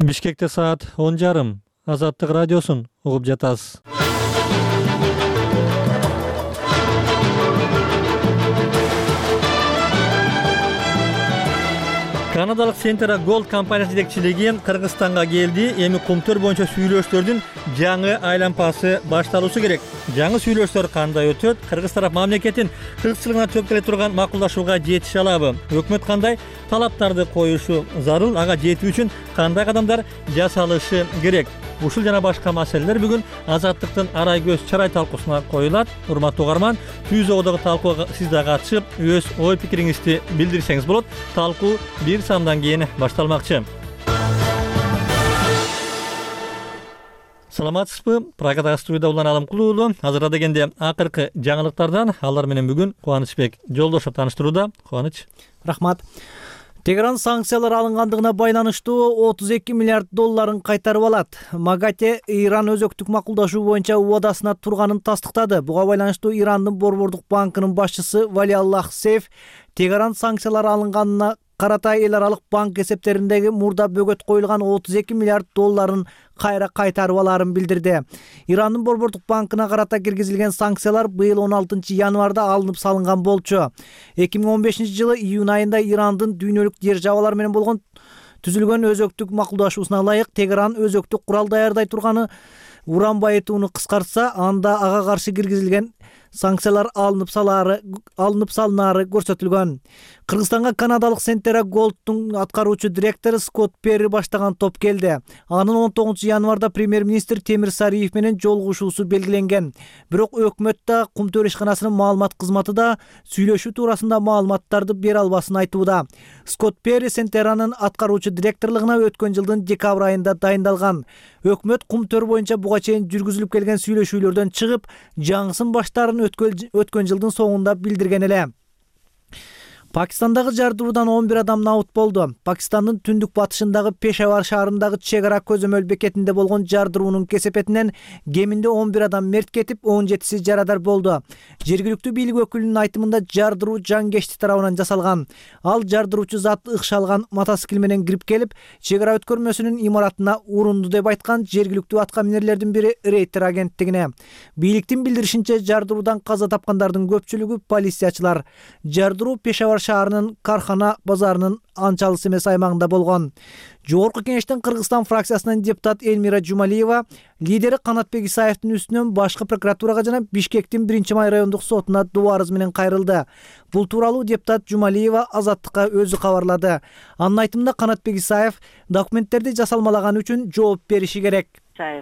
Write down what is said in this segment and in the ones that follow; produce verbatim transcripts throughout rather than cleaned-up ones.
Бишкекте саат он жарым. Азаттык радиосун угуп жатасыз. Канадалык Centera Gold компаниясы жетекчилиги Кыргызстанга келди. Эми кумтөр боюнча сүйлөштөрдүн жаңы айланпасы башталуусу керек. Жаңы сүйлөштөр кандай өтөт? Кыргыз тарап мамлекеттин кыргызчылыгына чөп келе турган макулдашууга жетише алабы? Өкмөт кандай талаптарды коюшу зарыл? Ага жетүү үчүн кандай кадамдар жасалышы керек? Ушул жана башка маселелер бүгүн Азаттыктын арай көз чарай талкуусуна коюлат. Урматтуу угарман, түз огдогу талкууга сиз да катышып, өз ой пикириңизди билдирсеңиз болот. Талкуу бир самдан кийин башталмакчы. Саламатсызбы? Программада студияда улан Алымкулуу уулу. Азырда дегенде акыркы жаңылыктардан алар менен бүгүн Кубанычбек Жолдошов тааныштырууда. Кубаныч. Рахмат. Тегеран санкциялар алынгандыгына байланыштуу отуз эки миллиард долларын кайтарып алат. МАГАТЭ Иран өзөктүк макулдашуу боюнча убадасына турганын тастыктады. Буга байланыштуу Ирандын Борбордук банкынын башчысы Валиаллах Сейф Тегеран санкциялар алынганына карата эл аралык банк эсептериндеги мурда бөгөт коюлган отуз эки миллиард долларын кайра кайтарып аларын билдирди. Ирандын Борбордук банкына карата киргизилген санкциялар быйыл он алтынчы январда алынып салынган болчу. эки миң он бешинчи жылы июнь айында Ирандын дүйнөлүк державалар менен болгон түзүлгөн өзөктүк макулдашуусуна ылайык Тегеран өзөктүк курал даярдай турганы уран байытууну кыскартса, анда ага каршы киргизилген санкциялар алынып салары алынып салынары көрсөтүлгөн. Кыргызстанга канадалык Centera Gold'тун аткаруучу директору Скотт Перри баштаган топ келди. Анын он тогузунчу январда премьер-министр Темир Сариев менен жолугушуусу белгиленген. Бирок өкмөт да Кумтөр ишканасынын маалымат кызматы да сүйлөшүү туурасында маалыматтарды бере албасын айтууда. Скотт Перри Centera'нын аткаруучу директорлугуна өткөн жылдын декабрь айында дайындалган. Өкмөт Кумтөр боюнча буга чейин жүргүзүлүп келген сүйлөшүүлөрдөн чыгып, жаңысын баштаарын өткөн жылдын соңунда билдирген эле. Пакистандагы жардыруудан он бир адам набыт болду. Пакистандын түндүк батышындагы Пешавар шаарындагы чек ара көзөмөл бекетинде болгон жардыруунун кесепетинен кеминде он бир адам мерт кетип, он жетиси жарадар болду. Жергиликтүү бийлик өкүлүнүн айтымында жардыруу жангечти тарабынан жасалган. Ал жардыруучу зат ыкша алган мотоцикл менен кирип келип, чек ара өткөрмөсүнүн имаратына урунду деп айткан жергиликтүү атка минерлердин бири Рейтер агенттигине. Бийликтин билдиришинче, жардыруудан каза тапкандардын көпчүлүгү полициячылар. Жардыруу Пешавар шаарынын Кархана базарынын анча алыс эмес аймагында болгон. Жогорку кеңештин Кыргызстан фракциясынын депутат Элмира Жумалиева лидери Канатбек Исаевдин үстүнөн башкы прокуратурага жана Бишкектин биринчи май райондук сотуна доо арыз менен кайрылды. Бул тууралуу депутат Жумалиева Азаттыкка өзү кабарлады. Анын айтымында Канатбек Исаев документтерди жасалмалаганы үчүн жооп бериши керек.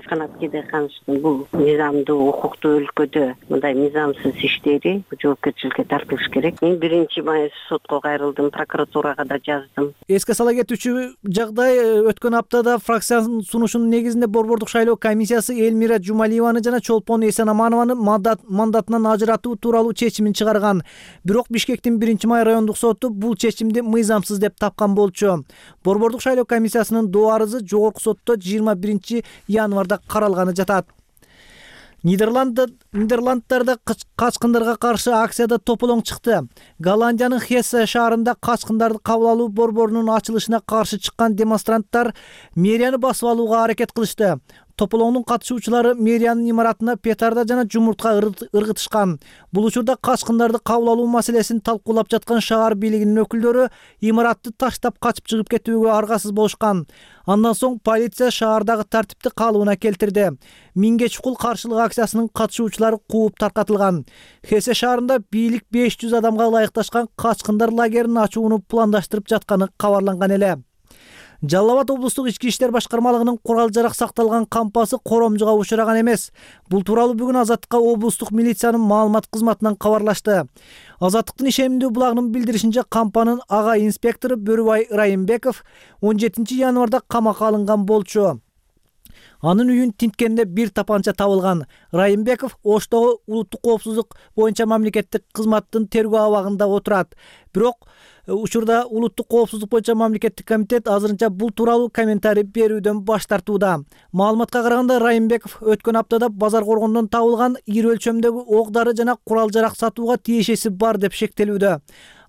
Канаткеде каныштын бул мыйзамдуу укуктуу өлкөдө мындай мыйзамсыз иштери жоопкерчиликке тартылыш керек. Мен биринчи май сотко кайрылдым, прокуратурага да жаздым. Эске сала кетүүчү жагдай, өткөн аптада фракциянын сунушунун негизинде Борбордук шайлоо комиссиясы Элмира Жумалиеваны жана Чолпон Эсенаманованы мандатынан ажыратуу тууралуу чечимин чыгарган. Бирок Бишкектин биринчи май райондук соту бул чечимди мыйзамсыз деп тапкан болчу. Борбордук шайлоо комиссиясынын доо арызы жогорку сотто жыйырма биринчи январда каралганы жатат. Нидерланддарда качкындарга каршы акцияда тополоң чыкты. Голландиянын Хессе шаарында качкындарды кабыл алуу борборунун ачылышына каршы чыккан демонстранттар мэрияны басып алууга аракет кылышты. Тополоңдун катышуучулары мэриянын имаратына петарда жана жумуртка ыргытышкан. Бул учурда качкындарды кабыл алуу маселесин талкуулап жаткан шаар бийлигинин өкүлдөрү имаратты таштап качып чыгып кетүүгө аргасыз болушкан. Андан соң полиция шаардагы тартипти калыбына келтирди. Миңге чукул каршылык акциясынын катышуучулары кууп таркатылган. Хесе шаарында бийлик беш жүз адамга ылайыкташкан качкындар лагерин ачууну пландаштырып жатканы кабарланган эле. Жалал Абад облустук ички иштер башкармалыгынын курал-жарак сакталган кампасы коромжуга учураган эмес. Бул тууралуу бүгүн Азаттыкка облустук милициянын маалымат кызматынан кабарлашты. Азаттыктын ишемдүү булагынын билдиришинче, кампанын ага инспектору Бөрүбай Райымбеков он жетинчи январда камакка алынган болчу. Анын үйүн тинткенде бир тапанча табылган. Райымбеков Оштогу улуттук коопсуздук боюнча мамлекеттик кызматтын тергөө абагында отурат. Бирок учурда улуттук коопсуздук боюнча мамлекеттик комитет азырынча бул тууралуу комментарий берүүдөн баш тартууда. Маалыматка караганда, Райымбеков өткөн аптада базар коргондон табылган ири өлчөмдөгү ок-дары жана курал-жарак сатууга тиешеси бар деп шектелүүдө.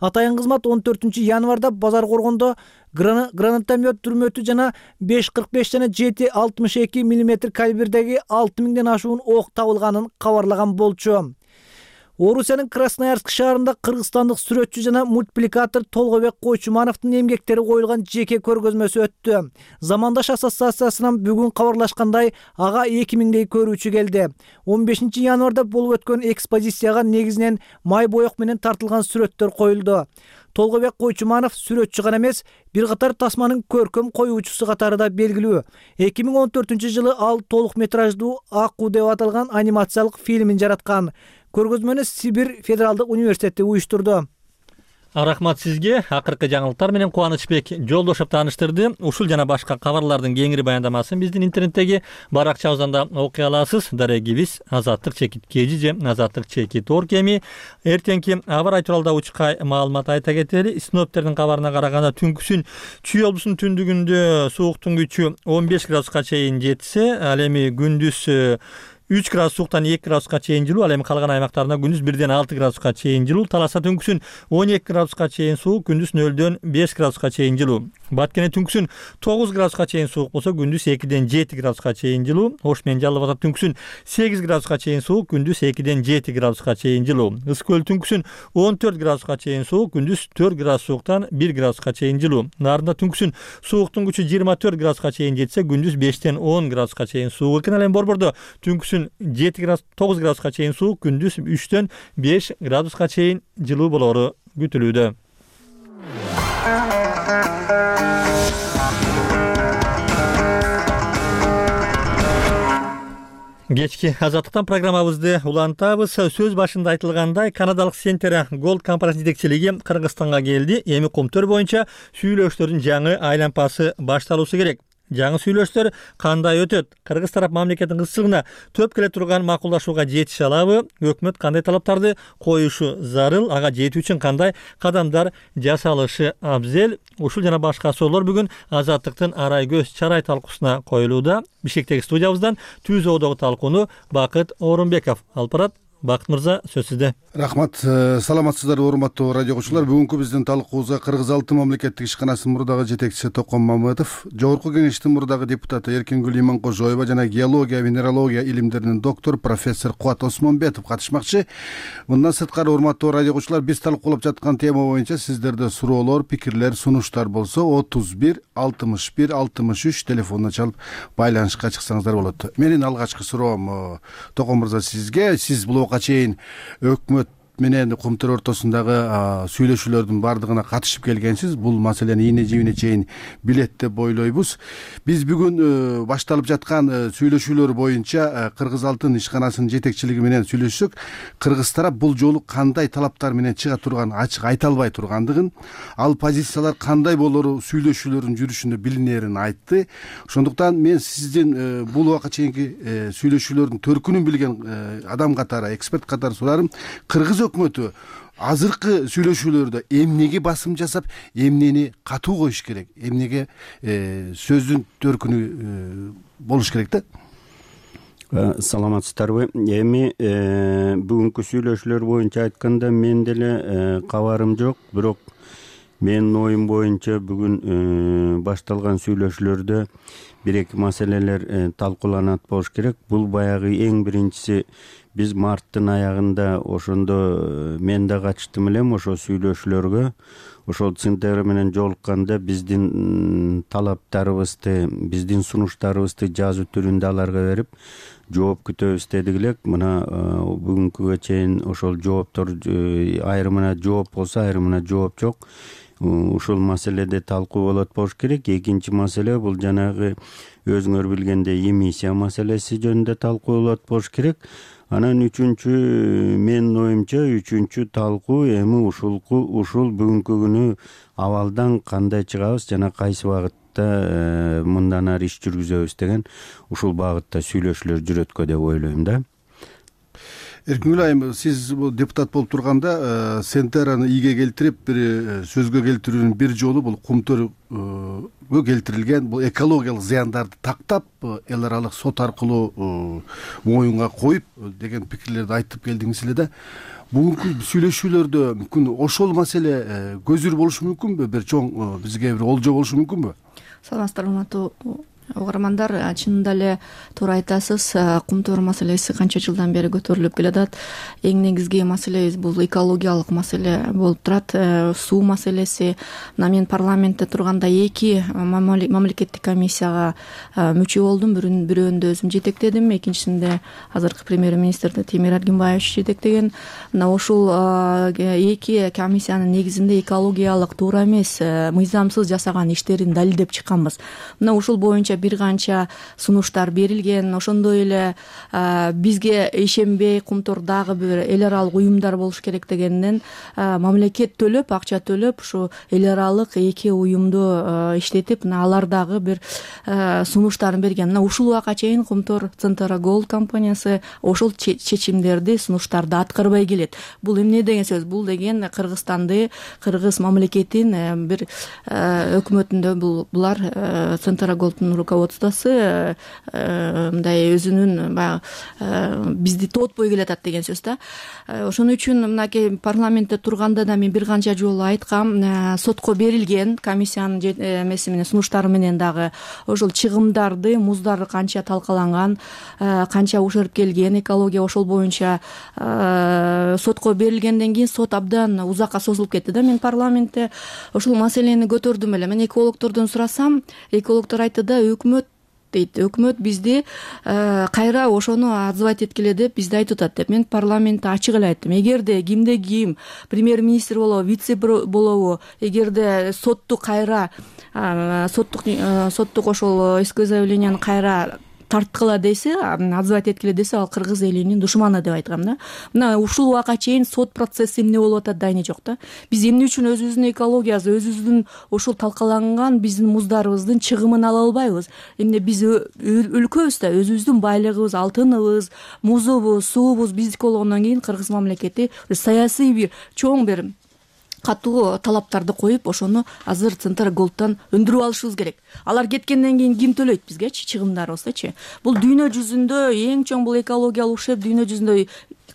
Атайын кызмат он төртүнчү январда Базар Коргондо гранатомет түрмөтү жана беш кырк беш жана жети алтымыш эки миллиметр калибрдеги алты миңден ашуун ок табылганын кабарлаган болчу. Орусиянын Красноярск шаарында кыргызстандык сүрөтчү жана мультипликатор Толгобек Койчумановдун эмгектери коюлган жеке көргөзмөсү өттү. Замандаш ассоциациясынан бүгүн кабарлашкандай, ага эки миңдей көрүүчү келди. он бешинчи январда болуп өткөн экспозицияга негизинен май боек менен тартылган сүрөттөр коюлду. Толгобек Койчуманов сүрөтчү гана эмес, бир катар тасманын көркөм коюучусу катары да белгилүү. эки миң он төртүнчү жылы ал толук метраждуу Аку деп аталган анимациялык фильмин жараткан. Көргөзмөнү Сибирь федералдык университети уюштурду. Рахмат сизге. Акыркы жаңылыктар менен Кубанычбек Жолдошев тааныштырды. Ушул жана башка кабарлардын кеңири баяндамасын биздин интернеттеги баракчабыздан да окуй аласыз. Дарегибиз Азаттык чекит кежи же Азаттык чекит орг эми эртеңки аба ырайы тууралуу учка маалымат айта кетели. Синоптиктердин кабарына караганда түнкүсүн Чүй облусунун түндүгүндө сууктун күчү он беш градуска чейин жетсе, ал эми күндүз үч градус сууктан эки градуска чейин жылуу, ал эми калган аймактарында күндүз бирден алты градуска чейин жылуу. Таласа түнкүсүн он эки градуска чейин суук, күндүз нөлдөн беш градуска чейин жылуу. Баткене түнкүсүн тогуз градуска чейин суук болсо, күндүз экиден жети градуска чейин жылуу. Ош менен Жалал Абад түнкүсүн сегиз градуска чейин суук, күндүз экиден жети градуска чейин жылуу. Ысык көл түнкүсүн он төрт градуска чейин суук, күндүз төрт градус сууктан бир градуска чейин жылуу. Нарында түнкүсүн сууктун күчү жыйырма төрт градуска чейин жетсе, күндүз бештен он градуска чейин суук экен. Ал эми Борбордо түнкүсүн жети градус тогуз градуска чейин суук, күндүз үчтөн беш градуска чейин жылуу болору күтүлүүдө. Кечки Азаттыктан программабызды улантабыз. Сөз башында айтылгандай, канадалык Сентера Голд компаниясынын жетекчилиги Кыргызстанга келди. Эми Кумтөр боюнча сүйлөшүүлөрдүн жаңы айланпасы башталуусу керек. Жаңы сүйлөшүүлөр кандай өтөт? Кыргыз тарап мамлекеттин кызчылыгына төп келе турган макулдашууга жетише алабы? Өкмөт кандай талаптарды коюшу зарыл? Ага жетүү үчүн кандай кадамдар жасалышы абзел? Ушул жана башка суроолор бүгүн Азаттыктын арай көз чарай талкуусуна коюлууда. Бишкектеги студиябыздан Түз Оодогу талкууну Бакыт Орунбеков алып барат. Бакыт мырза, сөз сизде. Рахмат. Саламатсыздарбы, урматтуу радио окуучулар. Бүгүнкү биздин талкуубузга Кыргыз Алтын мамлекеттик ишканасынын мурдагы жетекчиси Токон Мамытов, Жогорку Кеңештин мурдагы депутаты Эркингүл Иманкожоева жана геология, минералогия илимдеринин доктор профессор Кубат Осмонбетов катышмакчы. Мындан сырткары, урматтуу радио окуучулар, биз талкуулап жаткан тема боюнча сиздерде суроолор, пикирлер, сунуштар болсо отуз бир алтымыш бир алтымыш үч телефонуна чалып байланышка чыксаңыздар болот. Менин алгачкы суроом Токон мырза сизге. Сиз бул чейин өкмөт менен Кумтөр ортосундагы сүйлөшүүлөрдүн бардыгына катышып келгенсиз. Бул маселени ийне жибине чейин билет деп ойлойбуз. Биз бүгүн башталып жаткан сүйлөшүүлөр боюнча Кыргыз Алтын ишканасынын жетекчилиги менен сүйлөшсөк, кыргыз тарап бул жолу кандай талаптар менен чыга турган ачык айта албай тургандыгын, ал позициялар кандай болору сүйлөшүүлөрдүн жүрүшүндө билинерин айтты. Ошондуктан мен сиздин бул убакка чейинки сүйлөшүүлөрдүн төркүнүн билген адам катары, эксперт катары сурарым, кыргыз өкмөтү азыркы сүйлөшүүлөрдө эмнеге басым жасап, эмнени катуу коюш керек, эмнеге сөздүн төркүнү болуш керек да? Саламатсыздарбы. Эми бүгүнкү сүйлөшүүлөр боюнча айтканда мен деле кабарым жок, бирок менин оюм боюнча бүгүн башталган сүйлөшүүлөрдө бир эки маселелер талкууланат болуш керек. Бул баягы эң биринчиси, биз марттын аягында ошондо мен да катыштым элем ошо сүйлөшүүлөргө. Ошол Сентера менен жолукканда биздин талаптарыбызды, биздин сунуштарыбызды жазуу түрүндө аларга берип, жооп күтөбүз дедик элек. Мына бүгүнкүгө чейин ошол жооптор айрымына жооп болсо, айрымына жооп жок. Ушул маселеде талкуу болот болуш керек. Экинчи маселе бул жанагы өзүңөр билгендей эмиссия маселеси жөнүндө талкуу болот болуш керек. Анан үчүнчү, менин оюмча үчүнчү талкуу эми ушулку ушул бүгүнкү күнү абалдан кандай чыгабыз жана кайсы багытта мындан ары иш жүргүзөбүз деген ушул багытта сүйлөшүүлөр жүрөткө деп ойлойм да. Эркингүл айым, сиз бул депутат болуп турганда Сентераны ийге келтирип бир сөзгө келтирүүнүн бир жолу бул Кумтөргө келтирилген бул экологиялык зыяндарды тактап эл аралык сот аркылуу моюнга коюп деген пикирлерди айтып келдиңиз эле да. Бүгүнкү сүйлөшүүлөрдө мүмкүн ошол маселе көзүр болушу мүмкүнбү? Бир чоң бизге бир олжо болушу мүмкүнбү? Саламатсыздарбы, урматтуу угармандар. Чынында эле туура айтасыз. Кумтөр маселеси канча жылдан бери көтөрүлүп келатат. Эң негизги маселебиз бул экологиялык маселе болуп турат. Суу маселеси. Мына мен парламентте турганда эки мамлекеттик комиссияга мүчө болдум. Бирөөндө өзүм жетектедим, экинчисинде азыркы премьер-министр Темир Аргимбаевич жетектеген. Мына ушул эки комиссиянын негизинде экологиялык туура эмес, мыйзамсыз жасаган иштерин далилдеп чыкканбыз. Мына ушул боюнча бир канча сунуштар берилген. Ошондой эле бизге ишенбей Кумтордагы бир эл аралык уюмдар болуш керек дегенден мамлекет төлөп, акча төлөп ушу эл аралык эки уюмду иштетип, мына алар дагы бир сунуштарын берген. Мына ушул убакка чейин Кумтор Центра Голд компаниясы ошол чечимдерди, сунуштарды аткарбай келет. Бул эмне деген сөз? Бул деген Кыргызстанды, кыргыз мамлекетин бир өкмөтүндө булар Центра Голдтун руководствосу мындай өзүнүн баягы бизди тоотпой келатат деген сөз да. Ошон үчүн мынакей парламентте турганда да мен бир канча жолу айткам, сотко берилген комиссиянын эмеси менен, сунуштары менен дагы ошол чыгымдарды, муздары канча талкаланган, канча ушерп келген экология, ошол боюнча сотко берилгенден кийин сот абдан узакка созулуп кетти да. Мен парламентте ошол маселени көтөрдүм эле. Мен экологтордон сурасам, экологтор айтты да, өкмөт дейт, өкмөт бизди кайра ошону отзывать эткиле деп бизди айтып атат деп. Мен парламентте ачык эле айттым. Эгерде кимде ким премьер-министр болобу, вице болобу, эгерде сотту кайра соттук соттук ошол исковое заявленияны кайра тарткыла десе, отзывать эткиле десе, ал кыргыз элинин душманы деп айткам да. Мына ушул убакка чейин сот процесси эмне болуп атат, дайне жок да. Биз эмне үчүн өзүбүздүн экологиябыз, өзүбүздүн ошол талкаланган биздин муздарыбыздын чыгымын ала албайбыз? Эмне биз өлкөбүз да, өзүбүздүн байлыгыбыз, алтыныбыз, музубуз, суубуз биздики болгондон кийин кыргыз мамлекети саясий бир чоң бир катуу талаптарды коюп, ошону азыр Центр Голдтан өндүрүп алышыбыз керек. Алар кеткенден кийин ким төлөйт бизгечи чыгымдарыбыздычы? Бул дүйнө жүзүндө эң чоң бул экологиялык ушерп дүйнө жүзүндө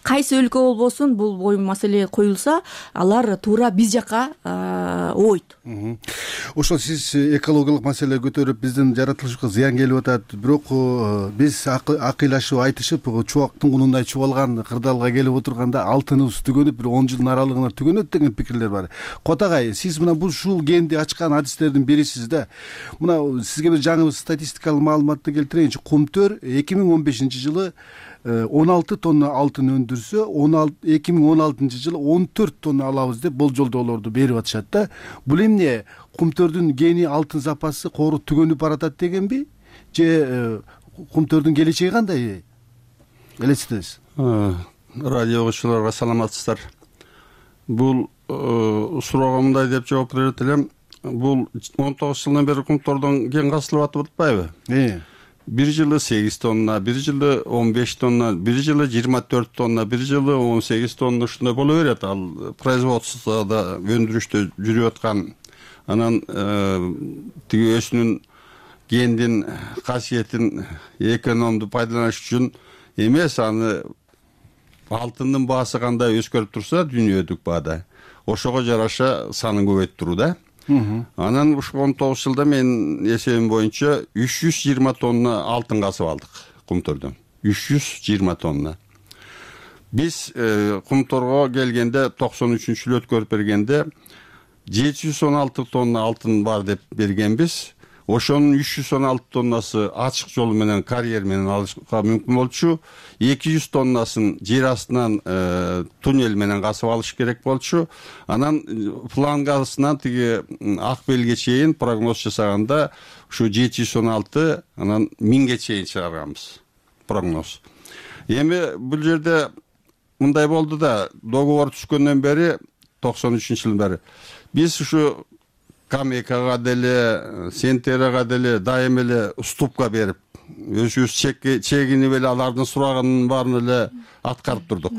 кайсы өлкө болбосун бул бою маселе коюлса, алар туура биз жака ойт. Ошол сиз экологиялык маселе көтөрүп биздин жаратылышыбызга зыян келип атат, бирок биз акыйлашып айтышып чубактын кунундай чубалган кырдаалга келип отурганда алтыныбыз түгөнүп, бир он жылдын аралыгында түгөнөт деген пикирлер бар. Котагай, сиз мына бул ушул генди ачкан адистердин бирисиз да. Мына сизге бир жаңы статистикалык маалыматты келтирейинчи. Кумтөр эки миң он бешинчи жылы он алты тонна алтын өндүрсө, эки миң он алтынчы жылы он төрт тонна алабыз деп болжолдоолорду берип атышат да. Бул эмне? Кумтөрдүн гени алтын запасы кору түгөнүп баратат дегенби? Же Кумтөрдүн келечеги кандай? Элестетесиз? Радио окуучуларга саламатсыздар. Бул суроого мындай деп жооп берет элем. Бул он тогуз жылдан бери Кумтордон ген казылып атып атпайбы? Э. Бир жылы сегиз тонна, бир жылы он беш тонна, бир жылы жыйырма төрт тонна, бир жылы он сегиз тонна ушундай боло берет. Ал производствода өндүрүштө жүрүп аткан. Анан тиги өзүнүн гендин касиетин экономду пайдаланыш үчүн эмес, аны алтындын баасы кандай өзгөрүп турса дүйнөдүк баада, ошого жараша санын көбөйттүрүү да. Анан ушул он тогуз жылда мен эсебим боюнча үч жүз жыйырма тонна алтын касып алдык Кумтордон. үч жүз жыйырма тонна. Биз Кумторго келгенде токсон үчүнчү жылы өткөрүп бергенде жети жүз он алты тонна алтын бар деп бергенбиз. Ошонун үч жүз он алты тоннасы ачык жол менен карьер менен алышка мүмкүн болчу. эки жүз тоннасын жер астынан туннель менен касып алыш керек болчу. Анан флангасынан тиги ак белге чейин прогноз жасаганда ушу жети жүз он алты, анан миңге чейин чыгарганбыз прогноз. Эми бул жерде мындай болду да, договор түшкөндөн бери токсон үчүнчү жылдан бери биз ушу Камекага деле, Сентерага деле дайым эле уступка берип өзүбүз чегинип эле алардын сураганын баарын эле аткарып турдук.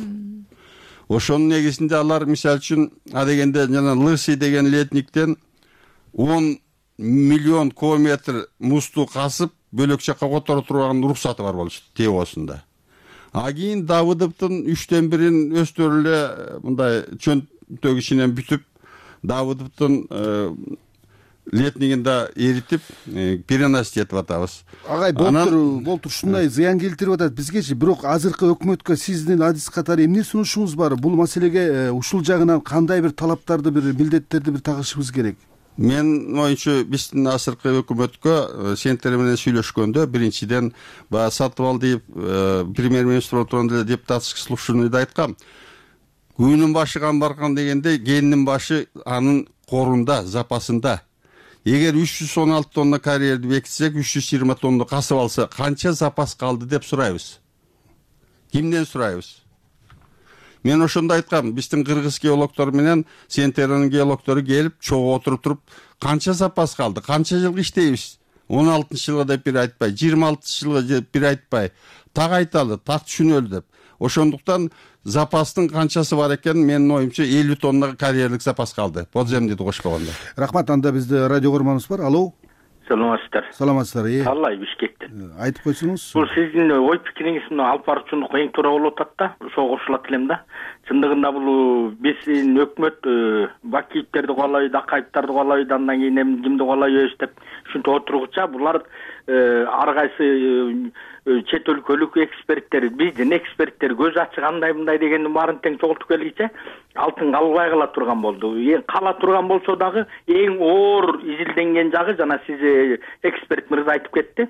Ошонун негизинде алар мисалы үчүн адегенде жана Лысый деген летниктен он миллион кубометр музду касып бөлөк жакка которо турган уруксаты бар болчу Тевосунда. А кийин Давыдовдун үчтөн бирин өздөрү эле мындай чөнтөк ичинен бүтүп Давыдовдун летнигинде эритип переносить этип атабыз. Агай болтур болтур ушундай зыян келтирип атат бизгечи. Бирок азыркы өкмөткө сиздин адис катары эмне сунушуңуз бар? Бул маселеге ушул жагынан кандай бир талаптарды, бир милдеттерди бир тагышыбыз керек? Мен оюнчу биздин азыркы өкмөткө сендер менен сүйлөшкөндө биринчиден баягы Сатыбалдиев премьер-министр отурганда эле депутатский слушаниеде айткам. Күнүн башы камбаркан дегенде кенинин башы анын корунда, запасында. Эгер үч жүз он алты тонна карьерди бекитсек, үч жүз жыйырма тонна касып алса, канча запас калды деп сурайбыз. Кимден сурайбыз? Мен ошондо айткам, биздин кыргыз геологдор менен Сентеранын геологдору келип, чогуу отуруп туруп, канча запас калды, канча жыл иштейбиз? он алтынчы жылга деп бир айтпай, жыйырма алтынчы жылга деп бир айтпай, так айталы, так түшүнөлү деп. Ошондуктан запастын канчасы бар экен, менин оюмча элүү тонна карьерлик запас калды. Подземныйды кошпогондо. Рахмат, анда бизде радио көрманыбыз бар. Алло. Саламатсыздар. Саламатсыздар. Аллай Бишкектен. Айтып койсоңуз. Бул сиздин ой пикириңиз мына алып баруучулук эң туура болуп атат да. Ошого кошулат элем да. Чындыгында бул биздин өкмөт Бакиевтерди куалайбы, Акаевтерди куалайбы, андан кийин эми кимди куалайбыз деп ушинтип отургуча булар ар кайсы чет өлкөлүк эксперттер, биздин эксперттер көз ачык андай мындай дегендин баарын тең чогултуп келгиче алтын калбай кала турган болду. Эң кала турган болсо дагы эң оор изилденген жагы жана сиз эксперт мырза айтып кетти.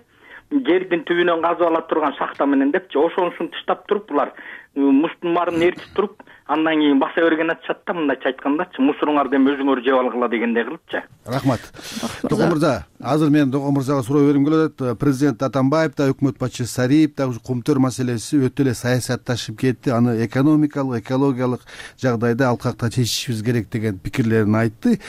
Жердин түбүнөн казып ала турган шахта менен депчи, ошонусун тыштап туруп булар муздун баарын эритип туруп, андан кийин баса берген атышат да, мындайча айткандачы, мусоруңарды эми өзүңөр жеп алгыла дегендей кылыпчы. Рахмат. Токон мырза, азыр мен Токон мырзага суроо бергим келип атат. Президент Атамбаев да, өкмөт башчысы Сариев да Кумтөр маселеси өтө эле саясатташып кетти. Аны экономикалык, экологиялык жагдайда алкакта чечишибиз керек деген пикирлерин айтты.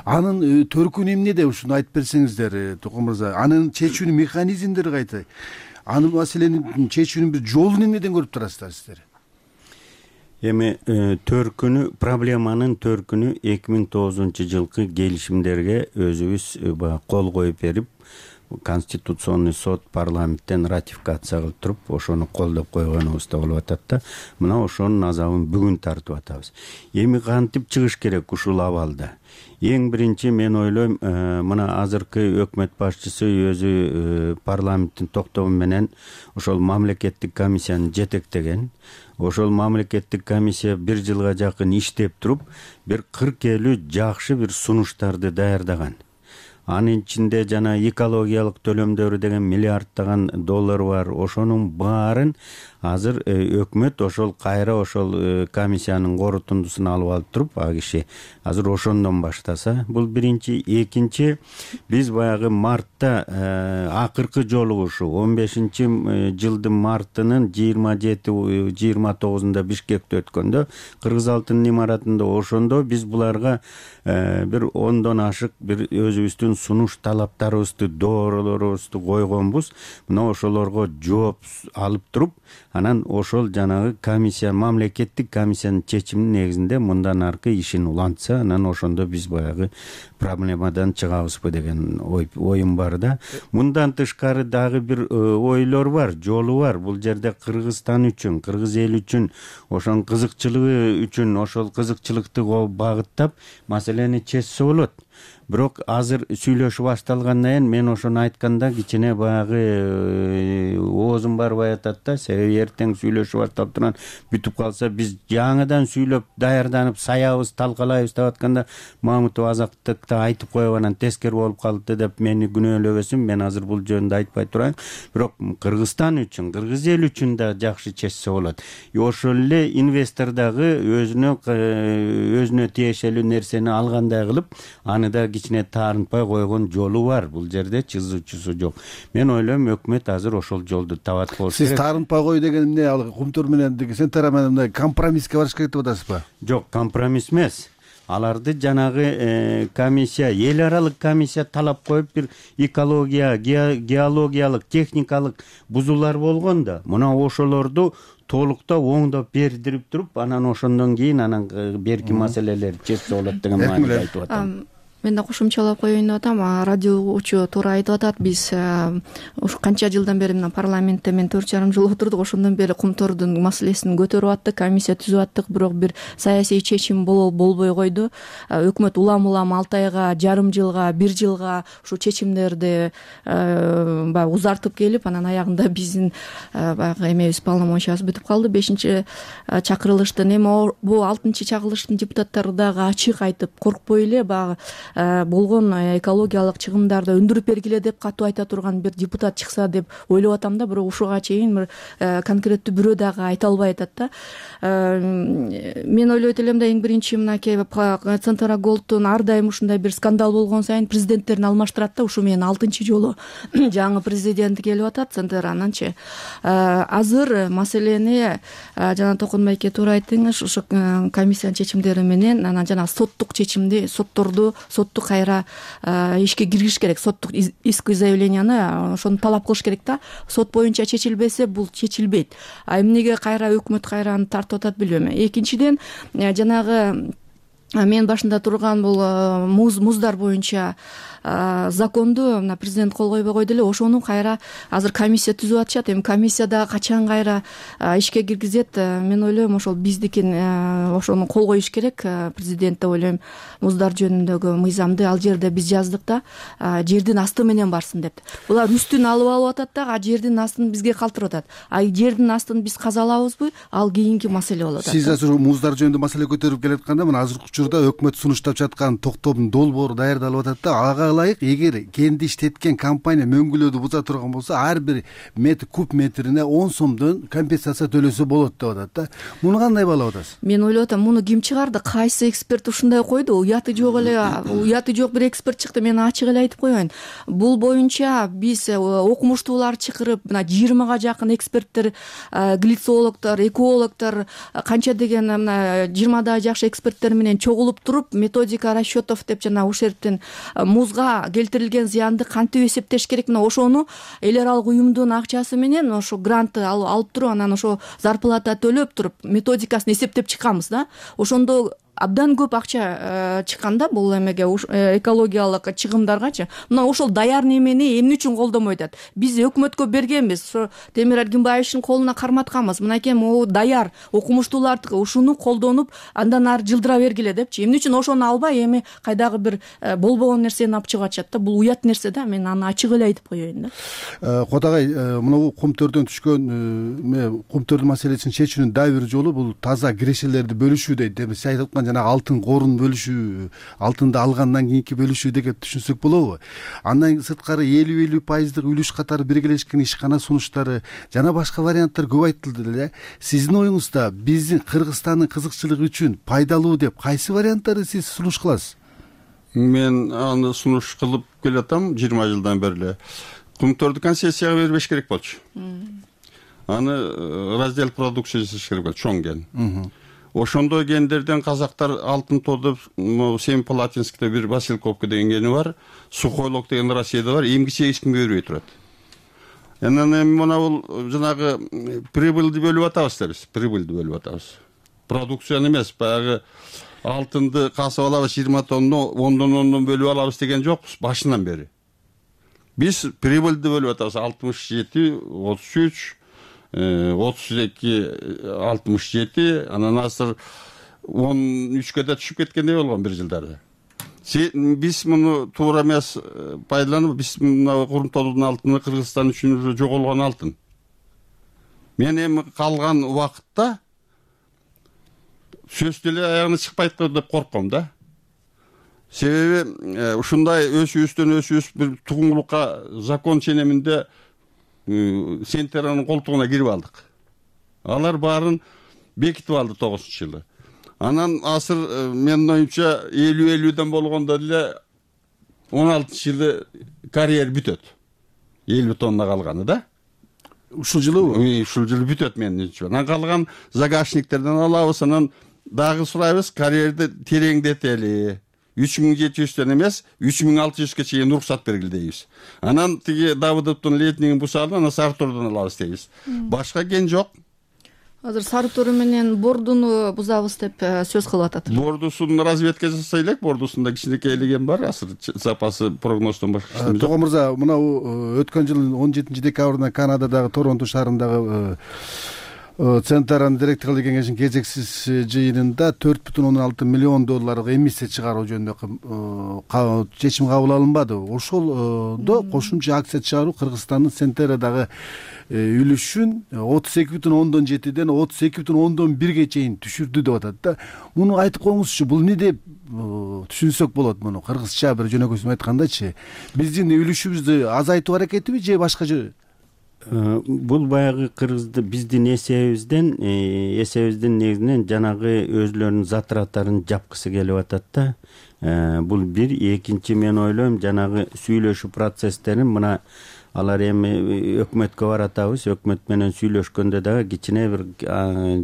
Анын төркүнү эмнеде, ушуну айтып берсеңиздер, Токон мырза. Анын чечүүнүн механизмдери кайсы? Анын маселенин чечүүнүн бир жолун эмнеден көрүп турасыздар сиздер? Эми төркүнү, проблеманын төркүнү эки миң тогузунчу жылкы келишимдерге өзүбүз кол коюп берип, Конституционный сот парламенттен ратификация кылып туруп, ошону колдоп койгонубузда болуп атат да. Мына ошонун азабын бүгүн тартып атабыз. Эми кантип чыгыш керек ушул абалда? Эң биринчи мен ойлойм, мына азыркы өкмөт башчысы өзү парламенттин токтому менен ошол мамлекеттик комиссияны жетектеген. Ошол мамлекеттик комиссия бир жылга жакын иштеп туруп, бир кырк элүү жакшы бир сунуштарды даярдаган. Анын ичинде жана экологиялык төлөмдөр деген миллиардтаган доллар бар. Ошонун баарын азыр өкмөт ошол кайра ошол комиссиянын корутундусун алып алып туруп, а киши азыр ошондон баштаса, бул биринчи. Экинчи, биз баягы мартта акыркы жолугушу он бешинчи жылдын мартынын жыйырма жети жыйырма тогузунда Бишкекте өткөндө, Кыргыз алтынын имаратында, ошондо биз буларга бир ондон ашык бир өзүбүздүн сунуш талаптарыбызды, дооролорубузду койгонбуз. Мына ошолорго жооп алып туруп, анан ошол жанагы комиссия, мамлекеттик комиссиянын чечиминин негизинде мындан аркы ишин улантса, анан ошондо биз баягы проблемадан чыгабызбы деген оюм бар да. Мындан тышкары дагы бир ойлор бар, жолу бар. Бул жерде Кыргызстан үчүн, кыргыз эл үчүн, ошонун кызыкчылыгы үчүн, ошол кызыкчылыкты багыттап маселени чечсе болот. Бирок азыр сүйлөшүү башталгандан кийин мен ошону айтканда кичине баягы оозум барбай атат да. Себеби эртең сүйлөшүү башталып турган бүтүп калса, биз жаңыдан сүйлөп даярданып саябыз, талкалайбыз деп атканда Мамытов азаттыкта айтып коюп анан тескери болуп калды деп мени күнөөлөбөсүн. Мен азыр бул жөнүндө айтпай турайын. Бирок Кыргызстан үчүн, кыргыз эл үчүн да жакшы чечсе болот. Ошол эле инвестор дагы өзүнө өзүнө тиешелүү нерсени алгандай кылып, аны да кичине таарынтпай койгон жолу бар. Бул жерде чызуучусу жок. Мен ойлойм, өкмөт азыр ошол жолду табат болуш керек. Сиз таарынтпай кой деген эмне? Ал Кумтөр менен Сентера менен компромисске барыш керек деп атасызбы? Жок, компромисс эмес. аларды жанагы комиссия, эл аралык комиссия талап коюп бир экология, геологиялык, техникалык бузуулар болгон да, мына ошолорду толуктап оңдоп бердирип туруп, анан ошондон кийин анан берки маселелер чечсе болот деген мааниде айтып атам. Мен да кошумчалап коеюн деп атам. Радио угуучу туура айтып атат. Биз ушу канча жылдан бери мына парламентте мен төрт жарым жыл отурдук. Ошондон бери кумтордун маселесин көтөрүп аттык, комиссия түзүп аттык, бирок бир саясий чечим болбой койду. Өкмөт улам-улам алты айга, жарым жылга, бир жылга ушу чечимдерди баягы узартып келип, анан аягында биздин баягы эмебиз, полномочиябыз бүтүп калды. бешинчи чакырылыштын эми бул алтынчы чакырылыштын депутаттары дагы ачык айтып, коркпой эле баягы болгон экологиялык чыгымдарды өндүрүп бергиле деп катуу айта турган бир депутат чыкса деп ойлоп атам да, бирок ушуга чейин бир конкреттүү бирөө дагы айта албай атат да. Мен ойлойт элем да, эң биринчи мынакей Центра Голдтун ар дайым ушундай бир скандал болгон сайын президенттерин алмаштырат да. Ушу менен алтынчы жолу жаңы президент келип атат Центрананчы. Азыр маселени жана Токонбай эке туура айттыңыз, ушу комиссиянын чечимдери менен анан жана соттук чечимди, сотторду сотту кайра ишке киргизиш керек. Соттук иск заявленияны ошону талап кылыш керек да. Сот боюнча чечилбесе бул чечилбейт. А эмнеге кайра өкмөт кайра аны тартып атат билбейм. Экинчиден, жанагы мен башында турган бул муз муздар боюнча законду мына президент кол койбой койду эле, ошону кайра азыр комиссия түзүп атышат. Эми комиссия дагы качан кайра ишке киргизет, мен ойлойм ошол биздикин ошону кол коюш керек. Президент деп ойлойм, муздар жөнүндөгү мыйзамды ал жерде биз жаздык да, жердин асты менен барсын деп. Булар үстүн алып алып атат да, а жердин астын бизге калтырып атат. А жердин астын биз казалабызбы, ал кийинки маселе болот. Сиз азыр муздар жөнүндө маселе көтөрүп келатканда, мына азыркы учурда өкмөт сунуштап жаткан токтомдун долбоору даярдалып атат да. Ага ылайык, эгер кенди иштеткен компания мөңгүлөөдү буза турган болсо, ар бир метр куб метрине он сомдон компенсация төлөсө болот деп атат да. Муну кандай баалап атасыз? Мен ойлоп атам, муну ким чыгарды? Кайсы эксперт ушундай койду? Уяты жок эле, уяты жок бир эксперт чыкты. Мен ачык эле айтып коеюн. Бул боюнча биз окумуштуулар чакырып, мына жыйырмага жакын эксперттер, глицологдор, экологдор, канча деген мына жыйырмадай жакшы эксперттер менен чогулуп туруп, методика расчетов деп жана ушул жерден музга келтирилген зыянды кантип эсептеш керек, мына ошону эл аралык уюмдун акчасы менен ошо грантты алып туруп, анан ошо зарплата төлөп туруп методикасын эсептеп чыкканбыз да. Ошондо абдан көп акча чыкканда бул эмеге, экологиялык чыгымдаргачы. Мына ошол даяр немени эмне үчүн колдонбой атат? Биз өкмөткө бергенбиз, ошо Темир Эргинбаевичтин колуна карматканбыз. Мынакей могу даяр окумуштуулар ушуну колдонуп, андан ары жылдыра бергиле депчи. Эмне үчүн ошону албай эми кайдагы бир болбогон нерсени алып чыгып атышат да? Бул уят нерсе да, мен аны ачык эле айтып коеюн да. Кодагай, мына кумтөрдөн түшкөн кумтөрдүн маселесин чечүүнүн дагы бир жолу бул таза кирешелерди бөлүшүү дейт. Эми сиз айтып жана алтын корун бөлүшүү, алтынды алгандан кийинки бөлүшүү деп түшүнсөк болобу? Андан сырткары элүү элүү пайыздык үлүш катары биргелешкен ишкана сунуштары жана башка варианттар көп айтылды эле. Сиздин оюңузда биздин Кыргызстандын кызыкчылыгы үчүн пайдалуу деп кайсы варианттарды сиз сунуш кыласыз? Мен аны сунуш кылып келатам жыйырма жылдан бери эле. Кумтөрдү концессияга бербеш керек болчу. Аны раздел продукция жасаш керек болчу, чоң кен. Ошондой гендерден казактар алтын тодуп, Семипалатинскте бир Василковка деген кени бар, Сухойлок деген Россияда бар, эмгиче эч ким бербей турат. Анан эми мына бул жанагы прибыльди бөлүп атабыз да биз, прибыльди бөлүп атабыз. Продукцияны эмес, баягы алтынды касып алабыз жыйырма тонну, ондон ондон бөлүп алабыз деген жокпуз башынан бери. Биз прибыльди бөлүп атабыз, алтымыш жети, отуз үч, отуз эки, алтымыш жети, анан азыр он үчкө да түшүп кеткендей болгон бир жылдары. Биз муну туура эмес пайдаланып, биз мына Курумтоодун алтыны Кыргызстан үчүн жоголгон алтын. Мен эми калган убакытта сөз деле аягына чыкпайт деп корком да. Себеби ушундай өсүүбүздөн өсүүбүз бир тугуңлукка закон ченеминде Сентеранын колтугуна кирип алдык. Алар баарын бекитип алды тогузунчу жылы. Анан азыр менин оюмча элүү элүүдөн болгондо деле он алтынчы жылы карьер бүтөт. элүү тонна калганы да. Ушул жылыбы? Ушул жылы бүтөт менин оюмча. Анан калган загашниктерден алабыз, анан дагы сурайбыз, карьерди тереңдетели. үч миң жети жүздөн эмес, үч миң алты жүзгө чейин уруксат бергиле дейбиз. Анан тиги Давыдовдун летнигин бусалып, анан Сарытордон алабыз дейбиз. Башка кен жок. Азыр Сарытор менен Бордуну бузабыз деп сөз кылып атат. Бордусун разведка жасай элек, Бордусунда кичинекей элеген бар, азыр запасы прогноздон башка. Токон мырза, мына өткөн жылдын он жетинчи декабрында Канададагы Торонто шаарындагы Центральный директорлук кеңешинин кезексиз жыйынында төрт бүтүн ондон алты миллион долларга эмиссия чыгаруу жөнүндө чечим кабыл алынбады. Ошолдо кошумча акция чыгаруу Кыргызстандын Центерадагы үлүшүн отуз эки бүтүн ондон жетиден отуз эки бүтүн ондон бирге чейин түшүрдү деп атат да. Муну айтып коюңузчу, бул эмне деп түшүнсөк болот муну? Кыргызча бир жөнөкөйсүн айткандачы, биздин үлүшүбүздү азайтуу аракетиби же башка жö? Бул баягы кыргызды биздин эсебибизден эсебибиздин негизинен жанагы өзлөрүнүн затраттарын жапкысы келип атат да. Бул бир, экинчи мен ойлойм жанагы сүйлөшүү процесстерин мына алар эми өкмөткө баратабыз, өкмөт менен сүйлөшкөндө дагы кичине бир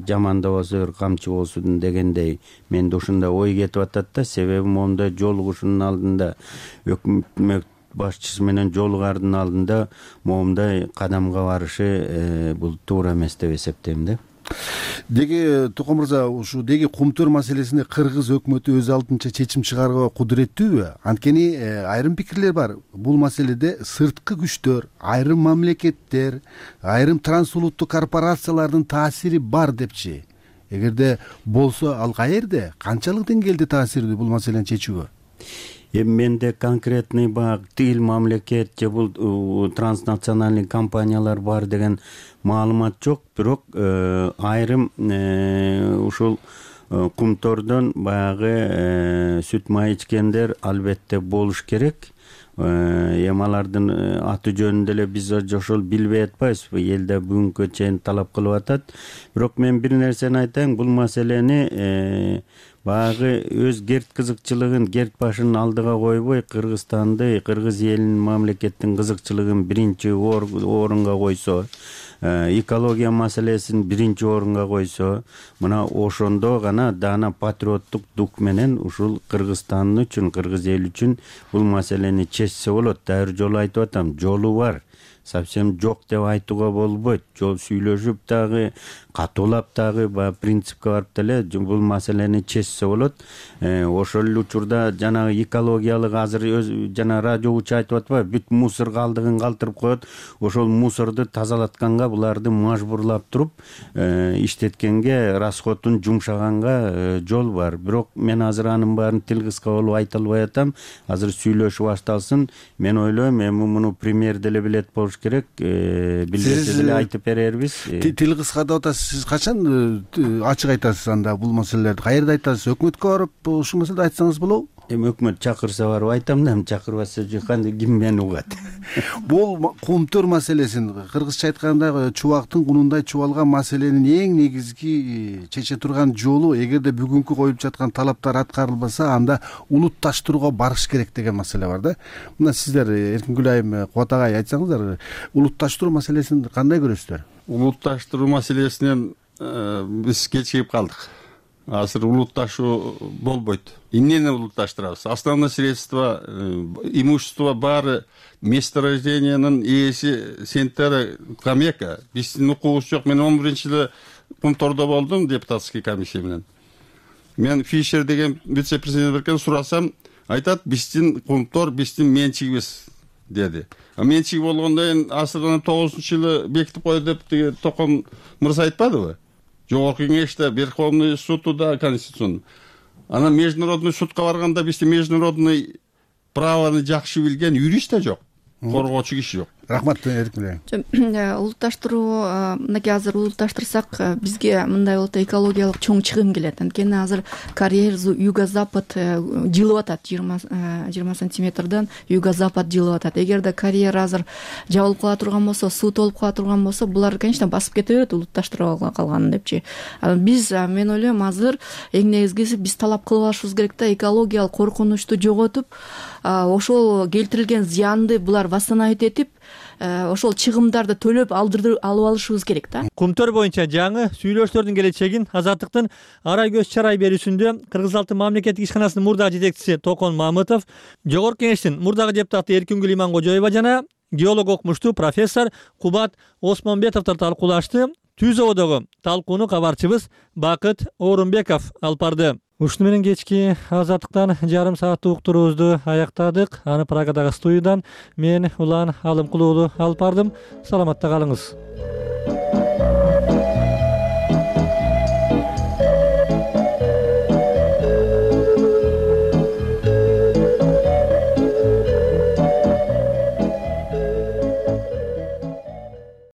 жаман да болсо бир камчы болсун дегендей менде ушундай ой кетип атат да. Себеби моундай жолугушуунун алдында өкмөт башчысы менен жолугардын алдында моундай кадамга барышы бул туура эмес деп эсептейм да. Деги Токон мырза, ушу деги кумтөр маселесинде кыргыз өкмөтү өз алдынча чечим чыгарууга кудуреттүүбү? Анткени айрым пикирлер бар. Бул маселеде сырткы күчтөр, айрым мамлекеттер, айрым трансулуттук корпорациялардын таасири бар депчи. Эгерде болсо, ал каерде, канчалык деңгээлде таасирдүү бул маселени чечүүгө? Эми менде конкретный баягы тил мамлекет же бул транснациональный компаниялар бар деген маалымат жок, бирок айрым ушул кумтордон баягы сүт май ичкендер албетте болуш керек. Эми алардын аты жөнүндө эле биз ошол билбей атпайбызбы? Элде бүгүнкү чейин талап кылып атат. Бирок мен бир нерсени айтайын, бул маселени баягы өз герт кызыкчылыгын, герт башын алдыга койбой, Кыргызстанды, кыргыз элинин, мамлекеттин кызыкчылыгын биринчи орунга койсо, экология маселесин биринчи орунга койсо, мына ошондо гана даана патриоттук дух менен ушул Кыргызстан үчүн, кыргыз эл үчүн бул маселени чечсе болот. Дагы бир жолу айтып атам, жолу бар. Совсем жок деп айтууга болбойт. Жол сүйлөшүп дагы, катуулап дагы баягы принципке барып деле бул маселени чечсе болот. Ошол эле учурда жанагы экологиялык азыр жана радиочу айтып атпайбы, бүт мусор калдыгын калтырып коет. Ошол мусорду тазалатканга буларды мажбурлап туруп иштеткенге, расходун жумшаганга жол бар. Бирок мен азыр анын баарын тил кыска болуп айта албай атам. Азыр сүйлөшүү башталсын. Мен ойлойм, эми муну премьер деле билет болуш керек. Билбесе деле айтып берербиз. Тил кыска деп атасыз. Сиз качан ачык айтасыз анда бул маселелерди? Каерде айтасыз? Өкмөткө барып ушул маселеди айтсаңыз болобу? Эми өкмөт чакырса барып айтам да, чакырбаса кандай ким мени угат? Бул кумтөр маселесин, кыргызча айтканда чубактын кунундай чубалган маселенин эң негизги чече турган жолу, эгерде бүгүнкү коюп жаткан талаптар аткарылбаса, анда улутташтырууга барыш керек деген маселе бар да. Мына сиздер Эркингүл айым, Кубат агай айтсаңыздар, улутташтыруу маселесин кандай көрөсүздөр? Улутташтыруу маселесинен биз кечигип калдык. Азыр улутташуу болбойт. Эмнени улутташтырабыз? Основное средство, имущество баары месторождениянын ээси Сентера Камека. Биздин укугубуз жок. Мен он биринчи жылы Кумтордо болдум депутатский комиссия менен. Мен Фишер деген вице-президент берген сурасам, айтат, биздин Кумтор биздин менчигибиз деди. А менчиги болгондон кийин асырдын тогузунчу жылы бекитип койду деп Токон мырза айтпадыбы? Жогорку кеңеште, Верховный судда, Конституцион. Анан международный судка барганда бизде международный правоны жакшы билген юрист да жок, коргоочу киши жок. Рахмат, Эркингүл. Улутташтыруу, мынакей азыр улутташтырсак, бизге мындай болот, экологиялык чоң чыгым келет. Анткени азыр карьер юго-запад жылып атат, жыйырма сантиметрден юго-запад жылып атат. Эгерде карьер азыр жабылып кала турган болсо, суу толуп кала турган болсо, булар, конечно, басып кете берет улутташтырып калганын депчи. Биз, мен ойлойм, азыр эң негизгиси биз талап кылып алышыбыз керек да, экологиялык коркунучту жоготуп, ошол келтирилген зыянды булар восстановить этип, ошол чыгымдарды төлөп алдырып алып алышыбыз керек да. Кумтөр боюнча жаңы сүйлөшүүлөрдүн келечегин Азаттыктын арай көз чарай берүүсүндө Кыргыз Алтын мамлекеттик ишканасынын мурдагы жетекчиси Токон Мамытов, Жогорку Кеңештин мурдагы депутаты Эркингүл Иманкожоева жана геолог окумуштуу профессор Кубат Осмонбетовдор талкуулашты. Түз ободогу талкууну кабарчыбыз Бакыт Орунбеков алып барды. Ушуну менен кечки Азаттыктан жарым сааттык уктуруубузду аяктадык. Аны Прагадагы студиядан мен Улан Алымкулуулу алып бардым. Саламатта калыңыз.